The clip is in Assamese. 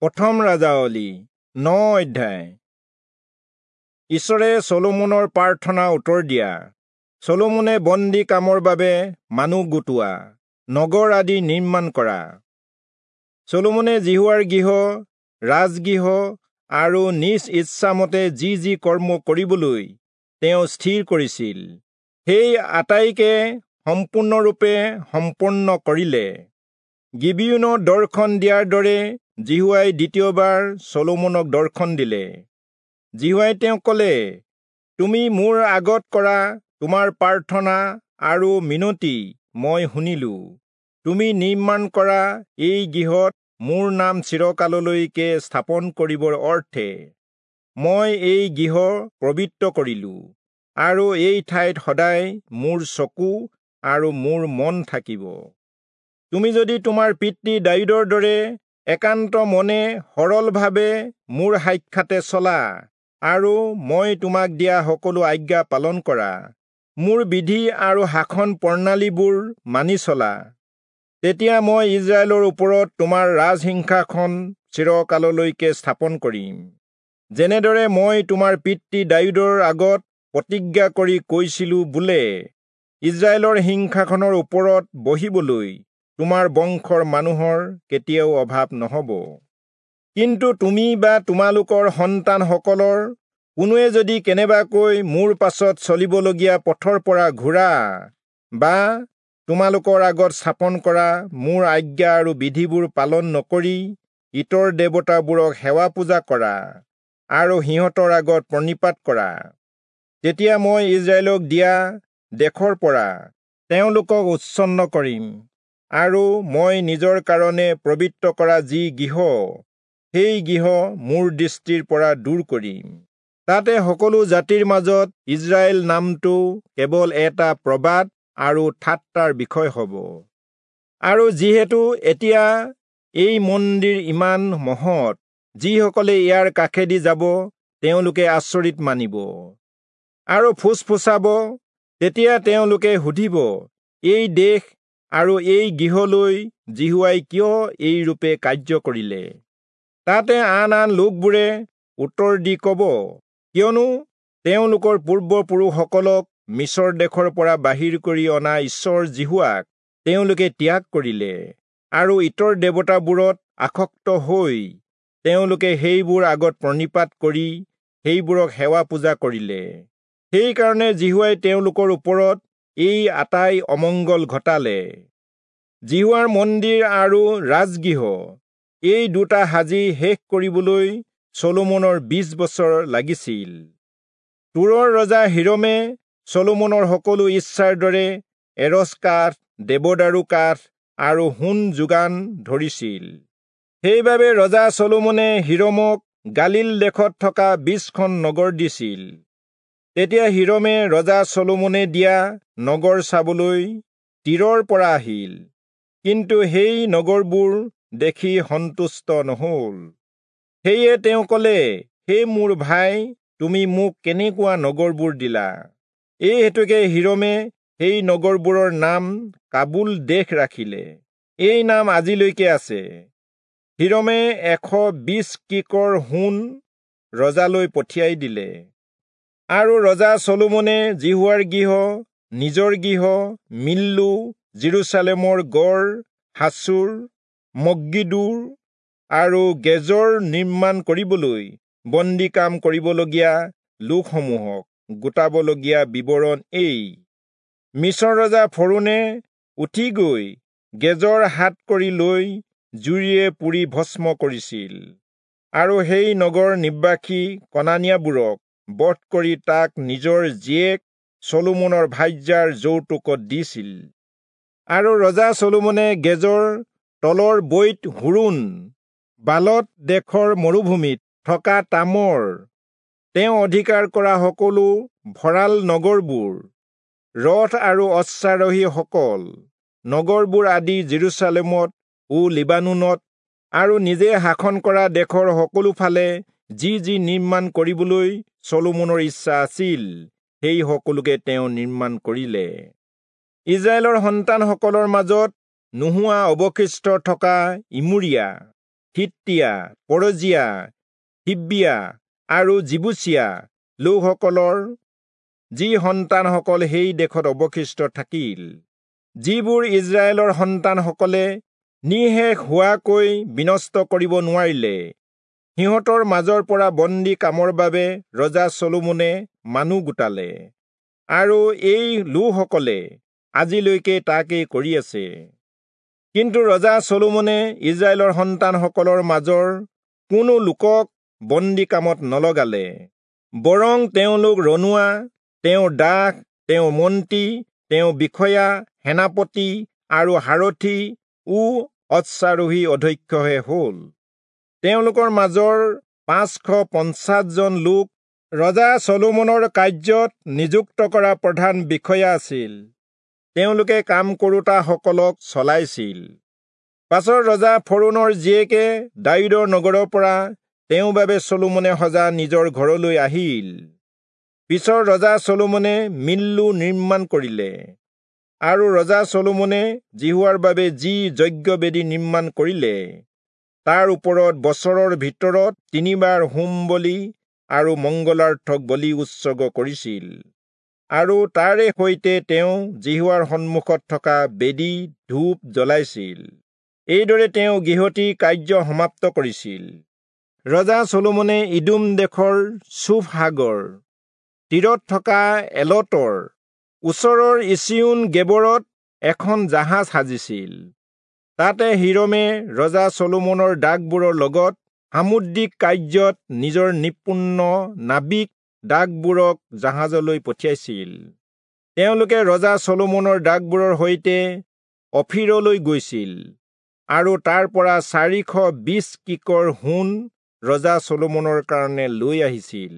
প্ৰথম ৰাজাৱলী 9 অধ্যায়। ঈশ্বৰে চলোমনৰ প্ৰাৰ্থনা উত্তৰ দিয়া। চলোমনে বন্দী কামৰ বাবে মানুহ গোটোৱা, নগৰ আদি নিৰ্মাণ কৰা। চলোমনে যিহোৱাৰ গৃহ, ৰাজগৃহ আৰু নিজ ইচ্ছামতে যি যি কৰ্ম কৰিবলৈ তেওঁ স্থিৰ কৰিছিল, সেই আটাইকে সম্পূৰ্ণৰূপে সম্পন্ন কৰিলে। গিবিয়োনত দৰ্শন দিয়াৰ দৰে যিহোৱাই দ্বিতীয়বাৰ চলোমনক দৰ্শন দিলে। যিহোৱাই তেওঁক ক'লে, তুমি মোৰ আগত কৰা তোমাৰ প্ৰাৰ্থনা আৰু মিনতি মই শুনিলো। তুমি নিৰ্মাণ কৰা এই গৃহত মোৰ নাম চিৰকাললৈকে স্থাপন কৰিবৰ অৰ্থে মই এই গৃহ পবিত্ৰ কৰিলো, আৰু এই ঠাইত সদায় মোৰ চকু আৰু মোৰ মন থাকিব। তুমি যদি তোমাৰ পিতৃ দায়ূদৰ দৰে একান্ত মনে সৰলভাৱে মোৰ সাক্ষাতে চলা আৰু মই তোমাক দিয়া সকলো আজ্ঞা পালন কৰা, মোৰ বিধি আৰু শাসন প্ৰণালীবোৰ মানি চলা, তেতিয়া মই ইজৰাইলৰ ওপৰত তোমাৰ ৰাজসিংহাসন চিৰকাললৈকে স্থাপন কৰিম, যেনেদৰে মই তোমাৰ পিতৃ দায়ূদৰ আগত প্ৰতিজ্ঞা কৰি কৈছিলো, বোলে ইজৰাইলৰ সিংহাসনৰ ওপৰত বহিবলৈ তোমাৰ বংশৰ মানুহৰ কেতিয়াও অভাৱ নহ'ব। কিন্তু তুমি বা তোমালোকৰ সন্তানসকলৰ কোনোৱে যদি কেনেবাকৈ মোৰ পাছত চলিবলগীয়া পথৰ পৰা ঘূৰা বা তোমালোকৰ আগত স্থাপন কৰা মোৰ আজ্ঞা আৰু বিধিবোৰ পালন নকৰি ইতৰ দেৱতাবোৰক সেৱা পূজা কৰা আৰু সিহঁতৰ আগত প্ৰণিপাত কৰা, তেতিয়া মই ইজৰাইলক দিয়া দেশৰ পৰা তেওঁলোকক উচ্ছন্ন কৰিম, আৰু মই নিজৰ কাৰণে পবিত্ৰ কৰা যি গৃহ, সেই গৃহ মোৰ দৃষ্টিৰ পৰা দূৰ কৰিম। তাতে সকলো জাতিৰ মাজত ইজৰাইল নামটো কেৱল এটা প্ৰবাদ আৰু ঠাট্টাৰ বিষয় হ'ব। আৰু যিহেতু এতিয়া এই মন্দিৰ ইমান মহৎ, যিসকলে ইয়াৰ কাষেদি যাব তেওঁলোকে আচৰিত মানিব আৰু ফুচফুচাব। তেতিয়া তেওঁলোকে সুধিব, এই দেশ আৰু এই গৃহলৈ যিহোৱাই কিয় এই ৰূপে কাৰ্য কৰিলে? তাতে আন আন লোকবোৰে উত্তৰ দি ক'ব, কিয়নো তেওঁলোকৰ পূৰ্বপুৰুষসকলক মিছৰ দেশৰ পৰা বাহিৰ কৰি অনা ঈশ্বৰ যিহোৱাক তেওঁলোকে ত্যাগ কৰিলে আৰু ইতৰ দেৱতাবোৰত আসক্ত হৈ তেওঁলোকে সেইবোৰ আগত প্ৰণিপাত কৰি সেইবোৰক সেৱা পূজা কৰিলে। সেইকাৰণে যিহোৱাই তেওঁলোকৰ ওপৰত এই আটাই অমংগল ঘটালে। যিহোৱাৰ মন্দিৰ আৰু ৰাজগৃহ এই দুটা সাজি শেষ কৰিবলৈ চলোমনৰ 20 বছৰ লাগিছিল। তূৰৰ ৰজা হিৰমে চলোমনৰ সকলো ইচ্ছাৰ দৰে এৰচ কাঠ, দেৱদাৰু কাঠ আৰু সোণ যোগান ধৰিছিল। সেইবাবে ৰজা চলোমনে হিৰমক গালিল দেশত থকা 20খন নগৰ দিছিল। তেতিয়া হিৰমে ৰজা চলোমনে দিয়া নগৰ চাবলৈ তীৰৰ পৰা আহিল, কিন্তু সেই নগৰবোৰ দেখি সন্তুষ্ট নহল। সেয়ে তেওঁ ক'লে, হে মোৰ ভাই, তুমি মোক কেনেকুৱা নগৰবোৰ দিলা? এই হেতুকে হিৰমে সেই নগৰবোৰৰ নাম কাবুল দেশ ৰাখিলে। এই নাম আজিলৈকে আছে। হিৰমে 120 কিকৰ সোণ ৰজালৈ পঠিয়াই দিলে। আৰু ৰজা চলোমনে যিহোৱাৰ গৃহ, নিজৰ গৃহ, মিল্লো, যিৰূচালেমৰ গড়, হাচোৰ, মগ্গিদোৰ আৰু গেজৰ নিৰ্মাণ কৰিবলৈ বন্দী কাম কৰিবলগীয়া লোকসমূহক গোটাবলগীয়া বিৱৰণ এই। মিছৰ ৰজা ফৰোণে উঠি গৈ গেজৰ হাত কৰি লৈ জুৰিয়ে পুৰি ভস্ম কৰিছিল, আৰু সেই নগৰ নিবাসী কনানীয়াবোৰক বধ কৰি তাক নিজৰ জীয়েক চলোমনৰ ভাৰ্যাৰ যৌতুকত দিছিল। আৰু ৰজা চলোমনে গেজৰ তলৰ বৈত হোৰোণ, বালত দেশৰ মৰুভূমিত থকা তামৰ, তেওঁ অধিকাৰ কৰা সকলো ভঁৰাল নগৰবোৰ, ৰথ আৰু অশ্বাৰোহীসকল, নগৰবোৰ আদি যিৰূচালেমত ও লিবানোনত আৰু নিজে শাসন কৰা দেশৰ সকলো ফালে যি যি নিৰ্মাণ কৰিবলৈ চলোমনৰ ইচ্ছা আছিল, সেই সকলোকে তেওঁ নিৰ্মাণ কৰিলে। ইজৰাইলৰ সন্তানসকলৰ মাজত নোহোৱা অৱশিষ্ট থকা ইমূৰীয়া হিত্তীয়া, পৰজীয়া, হিব্বীয়া আৰু যিবূচীয়া লোকসকলৰ যি সন্তানসকল সেই দেশত অৱশিষ্ট থাকিল, যিবোৰ ইস্ৰায়েলৰ সন্তানসকলে নিঃশেষ হোৱাকৈ বিনষ্ট কৰিব নোৱাৰিলে, সিহঁতৰ মাজৰ পৰা বন্দী কামৰ বাবে ৰজা চলোমনে মানুহ গোটালে, আৰু এই লোকসকলে আজিলৈকে তাকেই কৰি আছে। কিন্তু ৰজা চলোমনে ইস্ৰায়েলৰ সন্তানসকলৰ মাজৰ কোনো লোকক বন্দী কামত নলগালে, বৰং তেওঁলোক ৰণুৱা, তেওঁৰ দাস, তেওঁৰ মন্ত্ৰী, তেওঁৰ বিষয়া, সেনাপতি আৰু সাৰথি ও অশ্বাৰোহী অধ্যক্ষহে হ'ল। তেওঁলোকৰ মাজৰ 550 জন লোক ৰজা চলোমনৰ কাৰ্যত নিযুক্ত কৰা প্ৰধান বিষয়া আছিল। তেওঁলোকে কাম কৰোতাসকলক চলাইছিল। পাছত ৰজা ফৰৌণৰ জীয়েকে দায়ূদৰ নগৰৰ পৰা তেওঁৰ বাবে চলোমনে সজা নিজৰ ঘৰলৈ আহিল। পিছত ৰজা চলোমনে মিল্লো নিৰ্মাণ কৰিলে, আৰু ৰজা চলোমনে যিহোৱাৰ বাবে যি যজ্ঞবেদী নিৰ্মাণ কৰিলে, তাৰ ওপৰত বছৰৰ ভিতৰত 3 বাৰ হোম বলি আৰু মংগলাৰ্থক বলি উৎসৰ্গ কৰিছিল, আৰু তাৰে সৈতে তেওঁ যিহোৱাৰ সন্মুখত থকা বেদীত ধূপ জ্বলাইছিল। এইদৰে তেওঁ গৃহটিৰ কাৰ্য সমাপ্ত কৰিছিল। ৰজা চলোমনে ইদোম দেশৰ চূফ সাগৰ তীৰত থকা এলতৰ ওচৰৰ ইচিয়োন গেবৰত এখন জাহাজ সাজিছিল। তাতে হীৰমে ৰজা চলোমনৰ দাসবোৰৰ লগত সামুদ্ৰিক কাৰ্যত নিজৰ নিপুণ নাৱিক দাসবোৰক জাহাজলৈ পঠিয়াইছিল। তেওঁলোকে ৰজা চলোমনৰ দাসবোৰৰ সৈতে অফিৰলৈ গৈছিল, আৰু তাৰ পৰা 420 কিকৰ সোণ ৰজা চলোমনৰ কাৰণে লৈ আহিছিল।